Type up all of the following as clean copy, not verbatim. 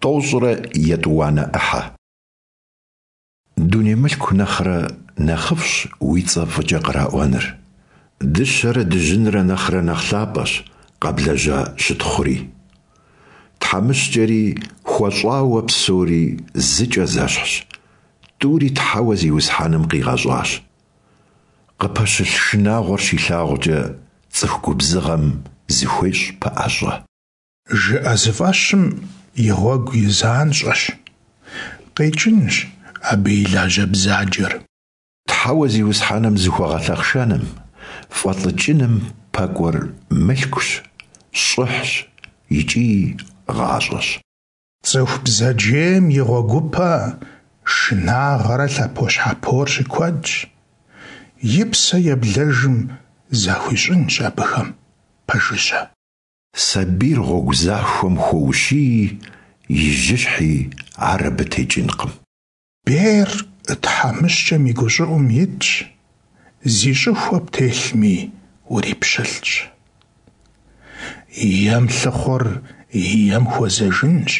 192-нэ ӏыхьэ. Дуней мылъку нэхърэ нэхъыфӏщ уи цӏэ фӏыкӏэ къраӏуэныр, дыщэрэ дыжьынрэ нэхърэ нэхъ лъапӏэщ къэблэжьа щытхъури. Тхьэмыщкӏэри хуэщӏауэ псэури зыкӏэ зэщхьщ, тӏури Тхьэуэ Зиусхьэным къигъэщӏащ. Къыпэщылъ шынагъуэр щилъагъукӏэ, цӏыху губзыгъэм зыхуещӏ пэӏэщӏэ. Жыӏэзыфӏэщым и гъуэгу и занщӏэщ, къикӏынщ абы и лажьэ бзаджэр. Тхьэуэ Зиусхьэным зыхуэгъэлъэхъшэным, фӏэлӏыкӏыным пэкӏуэр мылъкущ, щӏыхьщ икӏи гъащӏэщ. Цӏыху бзаджейм и гъуэгупэ шынагъэрэ лъэпощхьэпор щыкуэдщ, и псэ еблэжым захуищӏынщ абыхэм пэжыжьэ. Сабийр гъуэгу захуэм хуэущии, и жьыщхьи ар абы текӏынкъым. Бейр тхьэмыщкӏэм и гущӏыӏум итщ, зи щӏыхуэ птелъми урипщылӏщ. Ем лъыхъур ем хуэзэжынщ,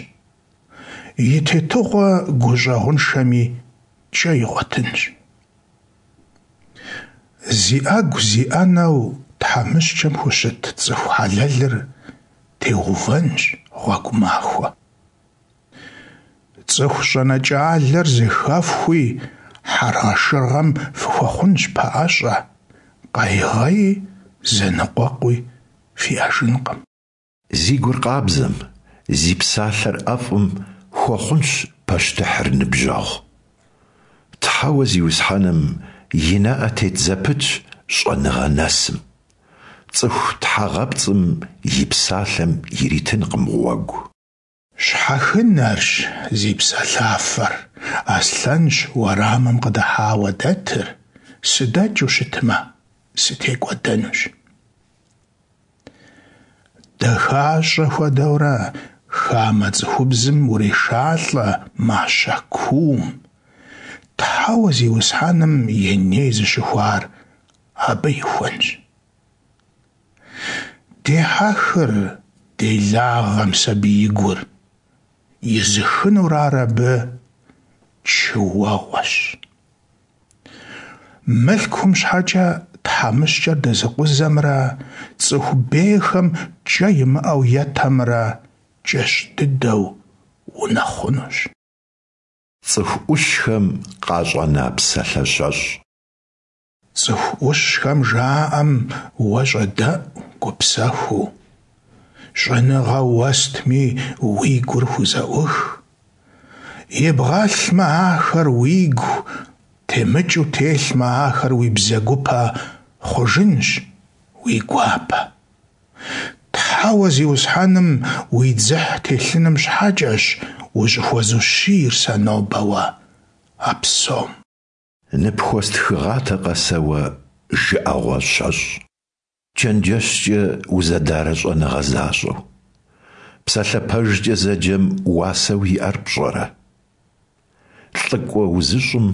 и тетыгъуэ гущӏэгъуншэми кӏэ игъуэтынщ. Зи ӏэгу зи ӏэнэу тхьэмыщкӏэм хущыт цӏыху хьэлэлыр теувэнщ гъуэгу махуэ. Цӏыху щӏэнэкӏалэр зэхэфхуи, хьэргъэшыргъэм фыхуэхъунщ пэӏэщӏэ, къайгъэи зэныкъуэкъуи фиӏэжынкъым. Зи гур къабзэм, зи псалъэр ӏэфӏым хуэхъунщ пащтыхьыр ныбжьэгъу. Тхьэуэ Зиусхьэным и нэӏэ тет зэпытщ щӏэныгъэ нэсым. Цӏыху тхьэгъэпцӏым и псалъэм иритынкъым гъуэгу. Щхьэхынэрщ зи псэлъафэр, Аслъэнщ уэрамым къыдыхьауэ дэтыр, сыдэкӏыу щытмэ, сытекӏуэдэнущ. Дэхащӏэ хуэдэурэ хамэ цӏыхубзым урешалӏэ мащэ куум. Тхьэуэ Зиусхьэным и ней зыщыхуар абы ихуэнщ. Дехьэхыр делагъэм сабиигур, изыхынур ар абы чыуэгъуэщ. Мылъкум щхьэкӏэ тхьэмыщкӏэр дэзыкъузэмрэ цӏыху бейхэм кӏэ имыӏэу етэмрэ кӏэщӏ дыдэу унэхъунущ. Цӏыху ӏущхэм къащӏэна псалъэ щэщӏ. Цӏыху ӏущхэм жаӏэм уэ щӏэдэӏу гупсэхуу, щӏэныгъэ уэстми уи гур хузэӏух. Ибгъэлъмэ ахэр уигу, темыкӏыу телъмэ ахэр уи бзэгупэ хъужынщ уи гуапэ. Тхьэуэ Зиусхьэным уи дзыхь телъыным щхьэкӏэщ ущӏыхуэзущийр сэ нобэ уэ а псом. Ныпхуэстхыгъатэкъэ сэ уэ жыӏэгъуэ щэщӏ, чэнджэщкӏэ узэдарэ щӏэныгъэ защӏэу? Псалъэ пэжкӏэ зэджэм уасэу иӏэр пщӏэрэ? Лӏыкӏуэ узыщӏым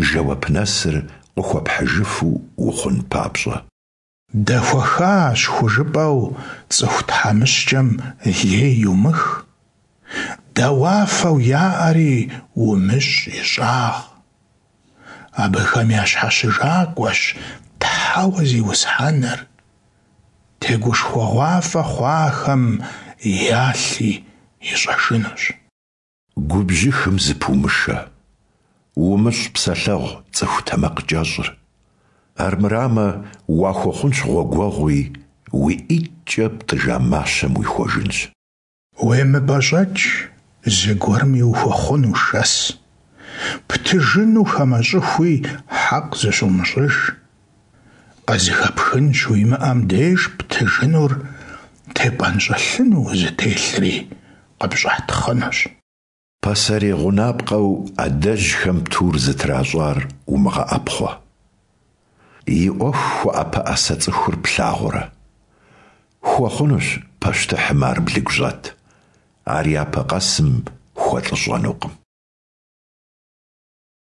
жэуап нэсыр къыхуэпхьыжыфу ухъун папщӏэ. Дэхуэхащ хужыпӏэу цӏыху тхьэмыщкӏэм лей йумых, дауафэу яӏэри умыщӏ ищӏагъ. Абыхэм я щхьэщыжакӏуэщ Тхьэуэ Зиусхьэныр, тегушхуэгъуафӏэ хъуахэм ялъи ищӏэжынущ. Губжьыхым зыпумышэ, умыщӏ псэлъэгъу цӏыху тэмакъкӏэщӏыр. Армырамэ, уахуэхъунщ гъуэгуэгъуи, уи ӏитӏкӏэ птӏыжа мащэм уихуэжынщ. Уемыпӏэщӏэкӏ, зыгуэрми ухуэхъуну шэс. Птыжыну хамэщӏыхуи хьэкъ зыщумыщӏыж. Къызыхэпхын щыуимыӏэм деж птыжынур тепӏэнщӏэлъыну узытелъри къыпщӏатхъынущ. Пасэрей гъунапкъэу адэжьхэм тур зытращӏар умыгъэӏэпхъуэ. И ӏуэху хуэӏэпэӏэсэ цӏыхур плъагъурэ? Хуэхъунущ пащтыхьым ар блыгущӏэт, ар япэ къэсым хуэлӏыщӏэнукъым.